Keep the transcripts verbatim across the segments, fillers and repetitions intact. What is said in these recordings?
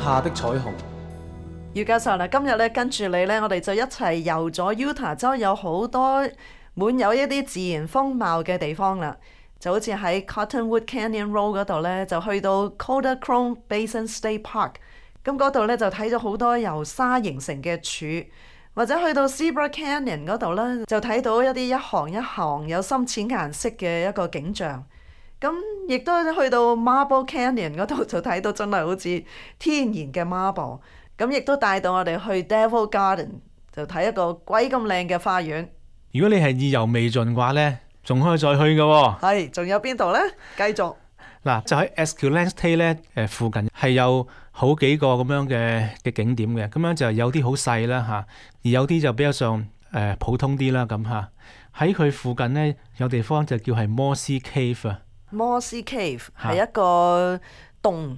下的彩虹。余教授啦，今日咧跟住你咧，我哋就一齊遊咗 Utah 州有好多滿有一啲自然風貌嘅地方啦，就好似喺 Cottonwood Canyon Road 嗰度咧，就去到 Kodachrome Basin State Park， 咁嗰度咧就睇咗好多由沙形成嘅柱，或者去到 Zebra Canyon 嗰度咧，就睇到一啲一行一行有深淺顏色嘅一個景象。咁亦都去到 Marble Canyon 嗰度就睇到真係好似天然嘅 marble。咁亦都帶到我哋去 Devil Garden， 就睇一個鬼咁靚嘅花園。如果你係意猶未盡嘅話呢，仲可以再去嘅喎、哦。係，仲有邊度呢？繼續嗱，就喺 Escalante 咧，誒附近係有好幾個咁樣嘅嘅景點嘅，咁樣就有啲好細啦嚇，而有啲就比較上誒、呃、普通啲啦咁嚇。喺佢附近呢，有地方就叫係 Mossy Cave 啊。Mossy Cave 係一個洞。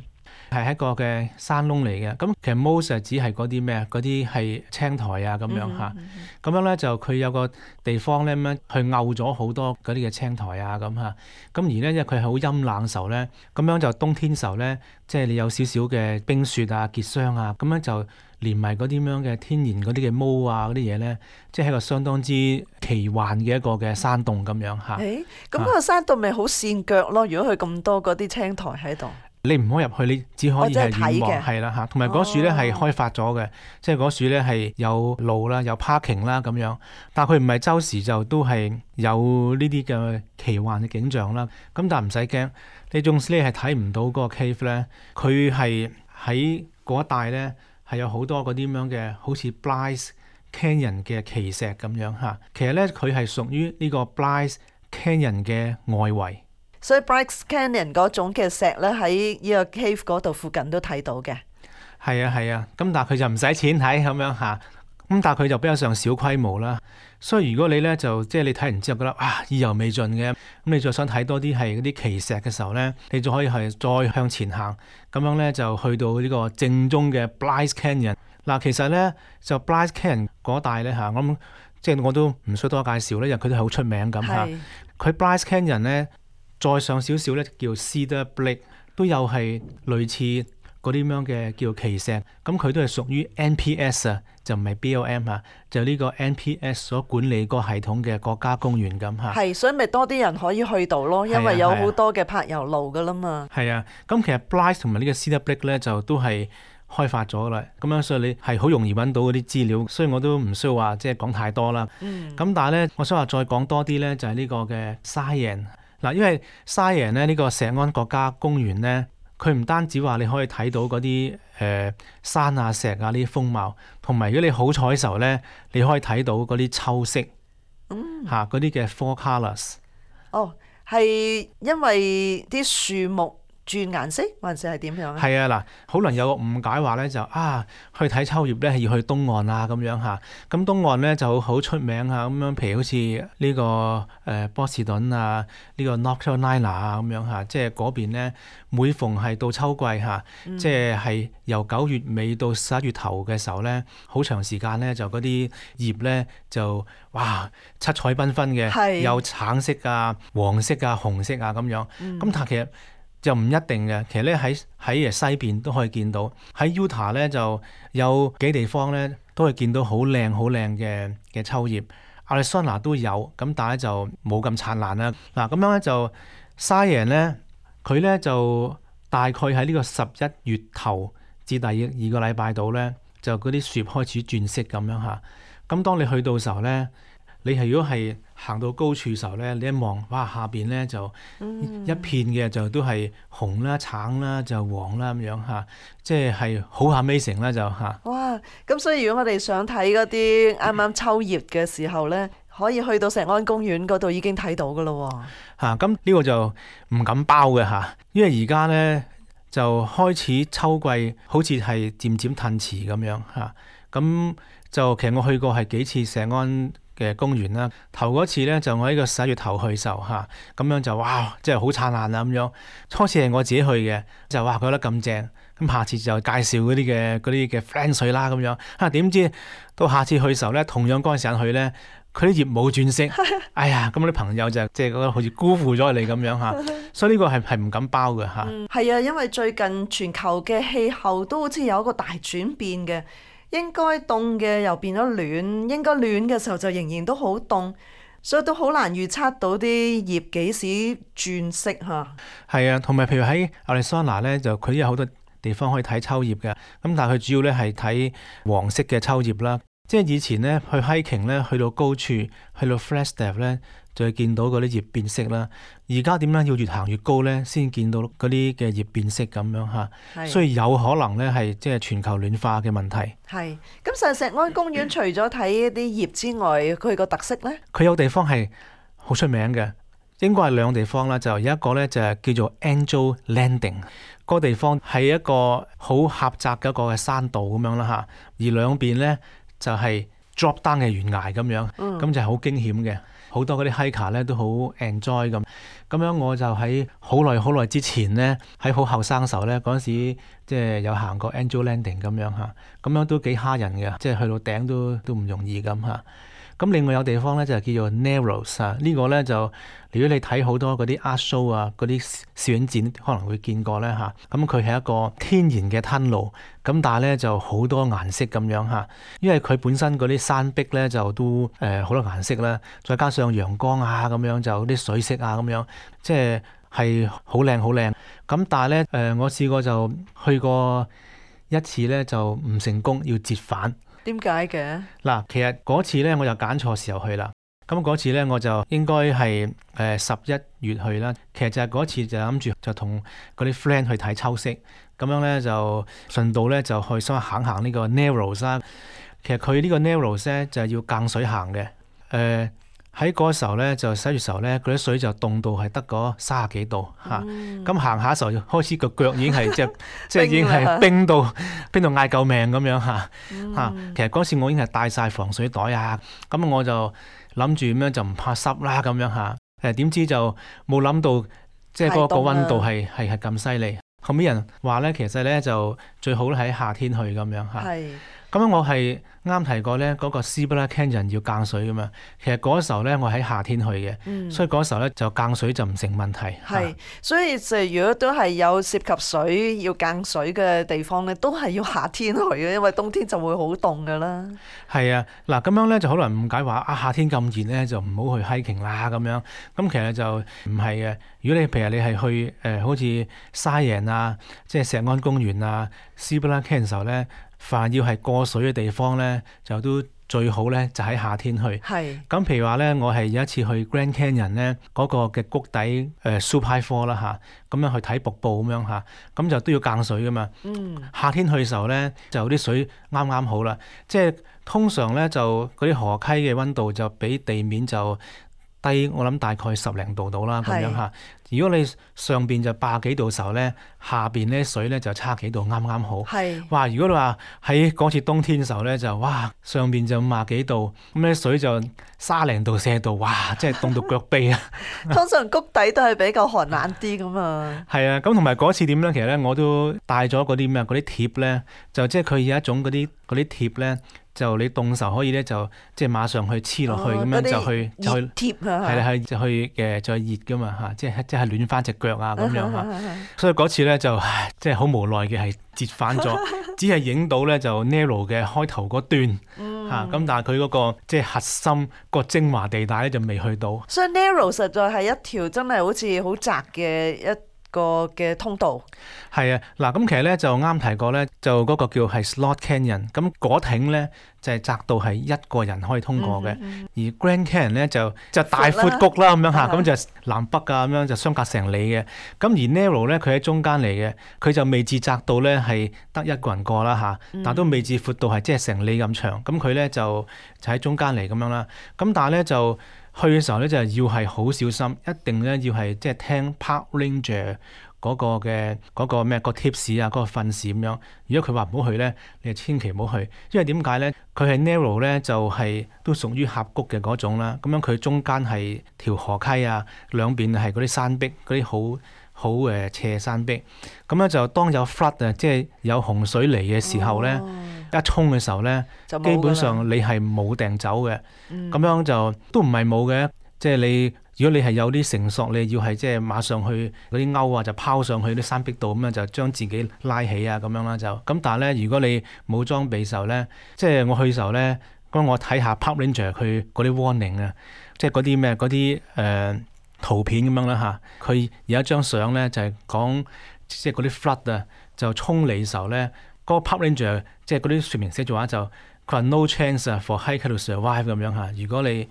係一個嘅山窿嚟嘅，咁其實 moss 係指係嗰啲咩啊？嗰啲係青苔啊咁樣嚇，咁、嗯嗯、樣咧就佢有個地方咧咁樣去漚咗好多嗰啲嘅青苔啊咁嚇，咁而咧因為佢係好陰冷時候咧，咁樣就冬天時候咧，即係你有少少嘅冰雪啊結霜啊，咁樣就連埋嗰啲咁樣嘅天然嗰啲嘅毛啊嗰啲嘢咧，即係一個相當之奇幻嘅一個嘅山洞咁樣嚇。誒，咁嗰個山洞咪好跣腳咯？如果佢咁多嗰啲青苔喺度。你唔可以入去，你只可以係遠望，係啦嚇。同埋嗰樹咧係開發咗嘅，哦、即係嗰樹咧係有路啦，有 parking 啦咁樣。但係佢唔係周時就都係有呢啲嘅奇幻嘅景象啦。咁但係唔使驚，你縱使你係睇唔到嗰個 cave 咧，佢係喺嗰一帶咧係有好多嗰啲咁樣嘅，好似 Bryce Canyon 嘅奇石咁樣嚇。其實咧佢係屬於呢個 Bryce Canyon 嘅外圍。所以 Bryce Canyon 嗰種嘅石咧，喺呢個 cave 嗰度附近都睇到嘅。係啊係啊，咁但係佢就唔使錢睇咁樣嚇，咁但係佢就比較上小規模啦。所以如果你咧就即係你睇完之後覺得啊意猶未盡嘅，咁你再想睇多啲係嗰啲奇石嘅時候咧，你就可以係再向前行，咁樣咧就去到呢個正宗嘅 Bryce Canyon。嗱，其實咧就 Bryce Canyon 嗰帶咧嚇，我諗即係我都唔需要多介紹咧，因為佢都係好出名咁嚇。佢 Bryce Canyon 咧。再上少少咧叫 Cedar Break， 都有係類似嗰啲咁樣嘅叫奇石，咁佢都係屬於 N P S 啊，就唔係 B L M 啊，就呢個 N P S 所管理個系統嘅國家公園咁嚇。係，所以咪多啲人可以去到咯，因為有好多嘅柏油路噶啦嘛。係啊，咁、啊、其實 Bryce 同埋呢個 Cedar Break 咧就都係開發咗啦，咁樣所以你係好容易揾到嗰啲資料，所以我都唔需要話即係講太多啦。嗯。咁但係咧，我想話再講多啲咧，就係、是、呢個嘅 Zion。嗱，因為 Zion 咧呢個石安國家公園咧，佢唔單止話你可以睇到嗰啲誒山啊石啊呢啲風貌，同埋如果你好彩嘅時候咧，你可以睇到嗰啲秋色，嗯嚇嗰啲嘅 four colours。哦，係因為啲樹木轉顏色，還是係點樣啊？係啊，嗱，可能有個誤解話咧，就啊去睇秋葉咧係要去東岸啊咁樣嚇。咁東岸咧就好出名啊咁樣，譬如好似呢、這個誒、呃、波士頓啊，呢、這個 North Carolina 啊咁樣嚇，即係嗰邊咧每逢係到秋季嚇，嗯、即係係由九月尾到十一月頭嘅時候咧，好長時間咧就嗰啲葉咧就哇七彩繽紛嘅，是有橙色啊、黃色啊、紅色啊咁樣。咁、嗯、但係其實就唔一定嘅，其實咧喺喺西邊都可以見到，喺 Utah 咧就有幾地方咧都可以見到好靚好靚嘅嘅秋葉。Arizona 都有，咁但係就冇咁燦爛啦。嗱咁樣咧就 Zion 咧，佢咧就大概喺呢個十一月頭至第二個禮拜度咧，就嗰啲樹葉開始轉色咁樣嚇。咁當你去到時候咧，你係如果係行到高處時候咧，你一望，哇下邊咧就一片嘅就都係紅啦、橙啦、就黃啦咁樣嚇，即係係好 amazing 啦就嚇。哇！咁所以如果我哋想睇嗰啲啱啱秋葉嘅時候咧，可以去到石安公園嗰度已經睇到噶咯喎。嚇，咁呢個就唔敢包嘅嚇，因為而家咧就開始秋季，好似係漸漸褪遲咁樣嚇。咁就其實我去過係幾次石安嘅公園啦，頭嗰次咧就我喺個十一月頭去時候嚇，咁樣就哇，即係好燦爛啊咁樣。初次係我自己去嘅，就哇覺得咁正，咁下次就介紹嗰啲嘅嗰啲嘅 friend 水啦咁樣。嚇點知到下次去時候咧，同樣嗰陣時間去咧，佢啲葉冇轉色，哎呀，咁啲朋友就即係覺得好似辜負咗你咁樣嚇，所以呢個係係唔敢包嘅嚇。嗯，係啊，因為最近全球嘅氣候都好似有一個大轉變嘅，應該凍嘅又變咗暖，應該暖嘅時候就仍然都好凍。所以都好難預測到啲葉幾時轉色嚇。係啊，同埋譬如喺亞利桑那咧，就佢有好多地方可以睇秋葉嘅。咁但係佢主要咧係睇黃色嘅秋葉啦。即係以前咧去 hiking 咧，去到高處，去到 Flagstaff 咧，就會見到嗰啲葉變色啦。而家點咧要越行越高咧，先見到嗰啲嘅葉變色咁樣嚇。係所以有可能咧係即係全球暖化嘅問題。係。咁實石安公園除咗睇啲葉之外，佢個特色咧？佢有地方係好出名嘅，應該係兩個地方啦。就有一個咧就係叫做 Angel Landing，嗰個地方係一個好狹窄嘅一個嘅山道咁樣啦嚇。而兩邊咧就係 drop down 嘅懸崖咁樣，咁、嗯、就係好驚險嘅。好多嗰啲 hiker 咧都好 enjoy 咁。咁樣我就喺好耐好耐之前咧，喺好後生嘅時候咧，嗰陣時即係有行過 Angel Landing 咁樣嚇，咁樣都幾蝦人嘅，即係去到頂都都唔容易咁嚇。咁另外有地方咧就係叫做 Narrows 啊，呢個咧就如果你睇好多嗰啲 art show 啊，嗰啲攝影展可能會見過咧嚇。咁佢係一個天然嘅吞路，咁但係咧就好多顏色咁樣嚇，因為佢本身嗰啲山壁咧就都誒好多顏色啦，再加上陽光啊咁樣就啲水色啊咁樣，即係係好靚好靚。咁但係咧誒我試過就去過一次咧就唔成功，要折返。點解嘅？嗱，其實嗰次咧我就揀錯時候去啦。咁嗰次咧我就應該係誒十一月去啦。其實就係嗰次就諗住就同嗰啲 friend 去睇秋色，咁樣咧就順道咧就去想行行呢個 Narrows 啦。其實佢呢個 Narrows 咧就係要間水行嘅。誒喺嗰個時候咧就十月時候咧，嗰啲水就凍到係得嗰三十幾度嚇。咁行下時候開始個腳已經係即係即係已經係冰到冰到嗌救命咁樣嚇嚇、嗯。其實嗰時我已經係帶晒防水袋啊，咁我就諗住咁樣就唔怕濕啦咁樣嚇。誒點知就冇諗到即係嗰個溫度係係係咁犀利。後尾人話咧，其實咧就最好喺夏天去咁樣嚇。咁樣我係啱提過咧，嗰、那個 Cibolo Canyon 要間水噶嘛。其實嗰時候咧，我喺夏天去嘅、嗯，所以嗰時候咧就間水就唔成問題。係，所以就如果都係有涉及水要間水嘅地方咧，都係要夏天去嘅，因為冬天就會好凍噶啦。係啊，嗱咁樣咧就可能誤解話啊夏天咁熱咧就唔好去 hiking 啦咁樣。咁其實就唔係嘅。如果你譬如你係去誒、呃、好似 Zion 啊，即係石安公園啊 Cibolo Canyon 時候咧。凡要係過水嘅地方咧，就都最好咧，就喺夏天去。係。咁譬如話咧，我係有一次去 Grand Canyon 咧，嗰、那個嘅谷底誒、呃、Super Four 啦嚇，咁樣去睇瀑布咁樣嚇，咁就都要間水噶嘛。嗯。夏天去嘅時候咧，就啲水啱啱好啦。即係通常咧，就嗰啲河溪嘅溫度就比地面就低，我諗大概十零度到啦咁樣嚇。如果你上邊就八幾度嘅時候咧，下邊咧水咧就差幾度，啱啱好。係。哇！如果你話喺嗰次冬天嘅時候咧，就哇上邊就五廿幾度，咁咧水就三零度、四度，哇！真係凍到腳痹啊！通常谷底都係比較寒冷啲咁啊。係啊，咁同埋嗰次點咧？其實咧我都帶咗嗰啲咩嗰啲貼咧，就即係佢有一種嗰啲嗰啲貼咧。就你凍時候可以咧，就即係馬上去黐落去咁、哦、樣就去就去貼啊，係啦，係就去嘅再熱噶嘛嚇，即係即係暖翻隻腳啊咁樣嚇。所以嗰次咧就即係好無奈嘅係折返咗，只係影到咧就 Narrow 嘅開頭嗰段嚇，咁、嗯啊、但係佢嗰個即係核心個精華地帶咧就未去到。所以 Narrow 實在係一條真係好似好窄嘅一個嘅通道。係啊，嗱咁其實咧就啱提過咧，就嗰個叫係 Slot Canyon，咁嗰挺咧就係、是、窄到係一個人可以通過嘅、嗯嗯，而 Grand Canyon 咧就就大闊谷啦咁樣嚇，咁就南北啊咁樣就相隔成里嘅，咁而 Narrow 咧佢喺中間嚟嘅，佢就未至窄到咧係得一個人過啦嚇，但都未至闊到係即係成里咁長，咁佢咧就就喺中間嚟咁樣啦，咁但係咧就去嘅時候咧就係要係好小心，一定咧要係即係聽 Park Ranger 嗰個嘅嗰個咩個 tips 啊，嗰個訓示咁樣。如果佢話唔好去咧，你就千祈唔好去，因為點解咧？佢係 narrow 咧，就係都屬於峽谷嘅嗰種啦。咁樣佢中間係條河溪啊，兩邊係嗰啲山壁，嗰啲好好誒斜山壁。咁咧就當有 flood 啊，即係有洪水嚟嘅時候咧，哦、一衝嘅時候咧，基本上你係冇掟走嘅。咁、嗯、樣就都唔係冇嘅，即係你。如果你係有啲繩索，你要係即係馬上去嗰啲鈎啊，就拋上去啲山壁度咁樣，就將自己拉起啊咁樣啦就。咁但係咧，如果你冇裝備時候咧，即係我去嘅時候咧，咁我睇下 Park Ranger 佢嗰啲 warning 啊，即係嗰啲咩嗰啲誒圖片咁樣啦嚇。佢有一張相咧就係講即係嗰啲 flood 啊，就衝嚟嘅時候咧，嗰、嗰個 Park Ranger 即係嗰啲說明寫住話就佢話 no chance 啊 for hiker to survive 咁樣嚇。如果你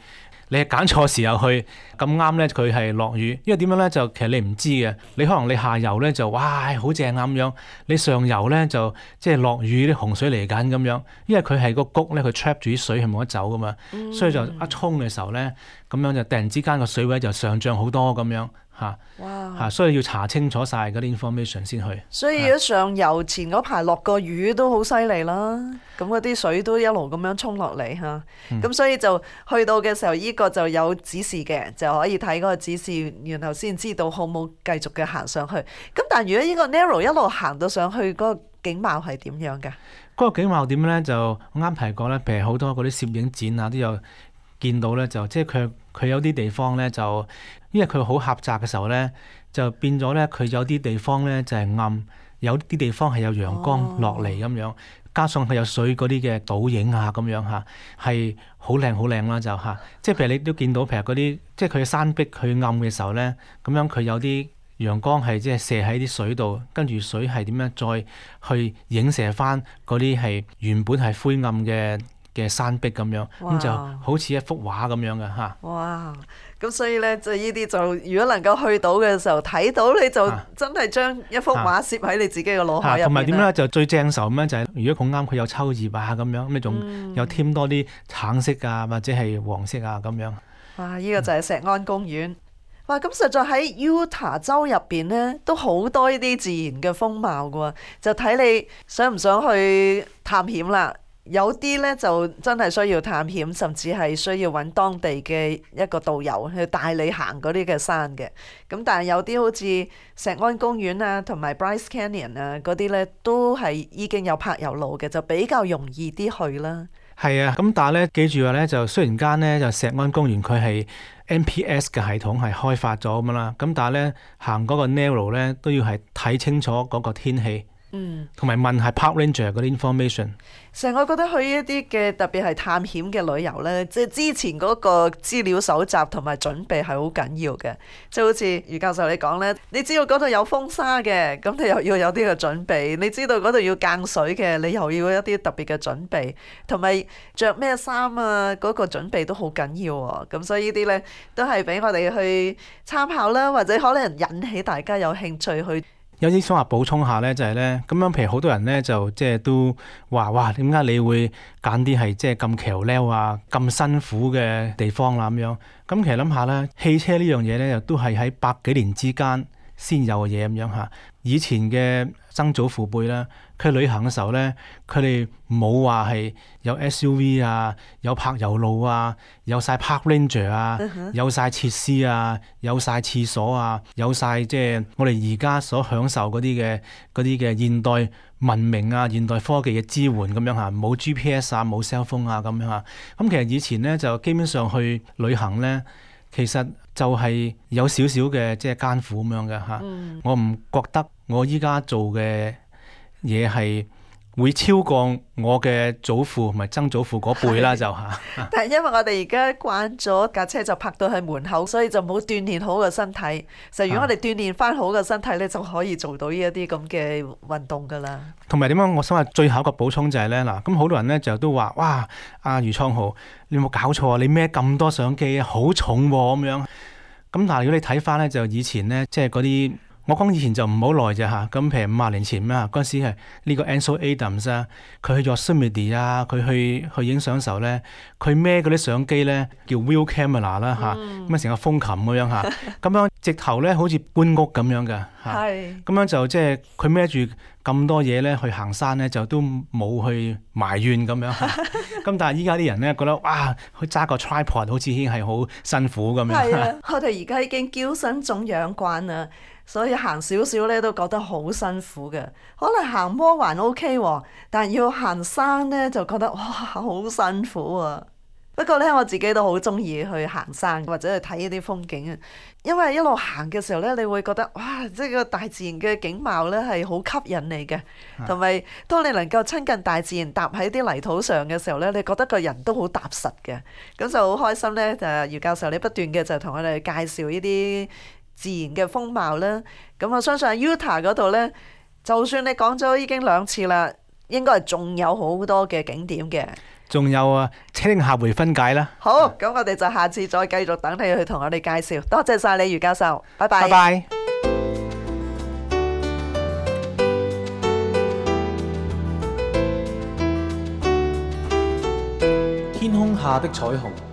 你係揀錯時候去，咁啱咧佢係落雨，因為點樣咧就其實你唔知嘅，你可能你下游咧就哇好正啊咁樣，你上游咧就即係落雨啲洪水嚟緊咁樣，因為佢係個谷咧佢 trap 住啲水係冇得走噶嘛，嗯、所以就一衝嘅時候咧，咁樣就突然之間個水位就上漲好多咁樣嚇，哇嚇，所以要查清楚晒嗰啲 information 先去。所以如果上游前嗰排落個雨都好犀利啦，咁嗰啲水都一路咁樣衝落嚟嚇，咁、嗯、所以就去到嘅時候，依、這個就有指示嘅，就可以睇嗰個指示，然後先知道好冇繼續嘅行上去。咁但係如果呢個 narrow 一路行到上去，嗰、那個景貌係點樣㗎？嗰個景貌點咧？就我啱提過咧，譬如好多嗰啲攝影展啊，都有見到咧，就即係佢佢有啲地方咧就。因為佢好狹窄嘅時候咧，就變咗咧，佢有啲地方咧就係暗，有啲地方係有陽光落嚟咁樣，加上佢有水嗰啲嘅倒影啊咁樣嚇，係好靚好靚啦就嚇。即係譬如你都見到，譬如嗰啲即係佢嘅山壁佢暗嘅時候咧，咁樣佢有啲陽光係即係射喺啲水度，跟住水係點樣再去影射翻嗰啲係原本係灰暗嘅嘅山壁咁樣，咁就好似一幅畫咁樣嘅嚇。哇！咁所以咧，就呢啲就如果能夠去到嘅時候睇到，你就真係將一幅畫攝喺你自己嘅腦海入面。同埋點咧？就最正受咁樣就係、是，如果咁啱佢有秋葉啊咁樣，咁你仲有添多啲橙色啊或者係黃色啊咁樣。哇！呢、這個就係石安公園。嗯、哇！咁實在喺 Utah 州入邊咧，都好多呢啲自然嘅風貌嘅喎，就睇你想唔想去探險啦。有啲咧就真係需要探險，甚至係需要揾當地嘅一個導遊去帶你行嗰啲嘅山嘅。咁但係有啲好似石安公園啊，同埋 Bryce Canyon 啊嗰啲咧，都係已經有柏油路嘅，就比較容易啲去啦。係啊，咁但係咧記住話咧，就雖然間咧就石安公園佢係 M P S 嘅系統係開發咗咁樣啦，咁但係咧行嗰個 narrow 咧都要係睇清楚嗰個天氣。嗯，同埋問下 Park Ranger 嗰啲 information。成日我覺得去一啲嘅特別係探險嘅旅遊呢，即係之前嗰個資料搜集同埋準備係好緊要嘅。即係好似余教授你講呢，你知道嗰度有風沙嘅，咁你又要有啲嘅準備；你知道嗰度要間水嘅，你又要一啲特別嘅準備，同埋着咩衫啊，嗰個準備都好緊要喎。咁所以呢啲呢，都係俾我哋去參考啦，或者可能引起大家有興趣去。有啲想話補充下咧，就係咧咁樣，譬如好多人咧就即係都話哇，點解你會揀啲係即係咁橋溜啊、咁辛苦嘅地方啦咁樣？咁其實諗下咧，汽車呢樣嘢咧，又都係喺百幾年之間先有嘅嘢咁樣嚇。以前嘅曾祖父輩啦，佢旅行嘅時候咧，佢哋冇話係有 S U V 啊，有柏油路啊，有晒 Park Ranger 啊，有晒設施啊，有晒廁所啊，有晒即係我哋而家所享受嗰啲嘅嗰啲嘅現代文明啊、現代科技嘅支援咁樣嚇，冇 G P S 啊、冇 cell phone 啊咁樣嚇。咁其實以前咧就基本上去旅行咧，其實就係有少少嘅即係艱苦咁樣嘅嚇。嗯、我唔覺得我依家做嘅嘢係會超過我嘅祖父同埋曾祖父嗰輩啦，就嚇。但係因為我哋而家慣咗架車就泊到喺門口，所以就冇鍛鍊好個身體。實如果我哋鍛鍊翻好個身體咧，就可以做到呢一啲咁嘅運動噶啦。同埋點樣？我想話最後一個補充就係咧嗱，咁好多人咧就都話哇，阿余創豪，你有冇搞錯啊？你孭咁多相機啊，好重喎咁樣。咁但係如果你睇翻咧，就以前咧，即係嗰啲。我講以前就唔好耐啫嚇，咁譬如五廿年前啦，嗰陣時係呢個 Ansel Adams 啊，佢去咗 Yosemite 啊，佢去去影相嘅時候咧，佢孭嗰啲相機咧叫 wheel camera 啦嚇，咁啊成個風琴咁樣嚇，咁樣直頭咧好似搬屋咁樣嘅嚇。係咁樣就即係佢孭住咁多嘢咧去行山咧，就都冇去埋怨咁樣嚇。咁但係依家啲人咧覺得哇，佢揸個 tripod 好似已經係好辛苦咁樣。係啊，我哋而家已經嬌生腫養慣啦，所以行少少咧都覺得好辛苦嘅。可能行坡還 OK 喎，但係要行山咧就覺得哇好辛苦啊！不過咧，我自己都好中意去行山或者去睇呢啲風景啊，因為一路行嘅時候咧，你會覺得哇，即係個大自然嘅景貌咧係好吸引你嘅，同埋當你能夠親近大自然，踏喺啲泥土上嘅時候咧，你覺得個人都好踏實嘅，咁就好開心咧。就姚教授你不斷嘅就同我哋介紹呢啲自然嘅風貌啦。咁我相信喺 Utah 嗰度咧，就算你講咗已經兩次啦，應該係仲有好多嘅景點嘅。仲有啊，請下回分解啦。好，咁我哋就下次再繼續等你去同我哋介紹。多謝晒你，余教授，拜拜。拜拜。天空下的彩虹。